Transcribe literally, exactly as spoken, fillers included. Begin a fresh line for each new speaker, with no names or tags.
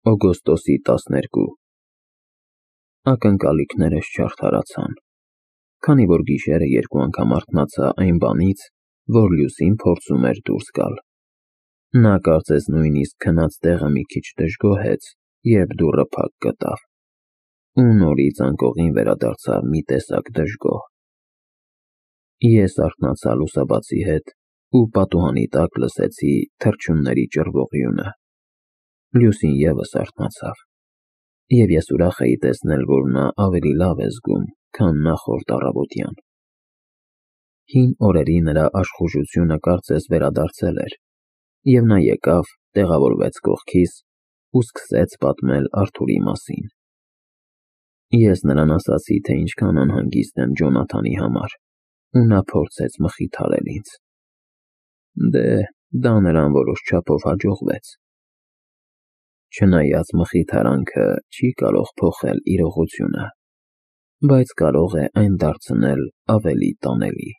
Օգոստոսի տասներկու Ակնկալիքներս չարդարացան, քանի որ գիշերը երկու անգամ արթնացա այն բանից, որ Լյուսին փորձում էր դուրս գալ։ Նա կարծես նույնիսկ քնած տեղը մի քիչ դժգոհեց, երբ դուռը փակ գտավ, ու նորից անկողին վերադարձավ մի տեսակ դժգոհ։ Ես արթնացա լուսաբացի հետ ու պատուհանի տակ լսեցի թռչունների ճռվողյունը։ Լյուսին ևս արթնացավ, և ես ուրախ էի տեսնել, որ նա ավելի լավ է զգում, քան նախորդ առավոտյան։ Հին օրերի նրա աշխուժությունը կարծես վերադարձել էր, և նա եկավ, տեղավորվեց կողքիս ու սկսեց պատմել Արթուրի մասին։ Ես նրան ասացի, թե ինչքան անհանգիստ եմ Ջոնաթանի համար, ու նա փորձեց մխիթարել ինձ։ Դե, դա նրան որոշ չափով հաջողվեց։ Չնայած մխիթարանքը չի կարող փոխել իրողությունը, բայց կարող է այն դարձնել ավելի տանելի։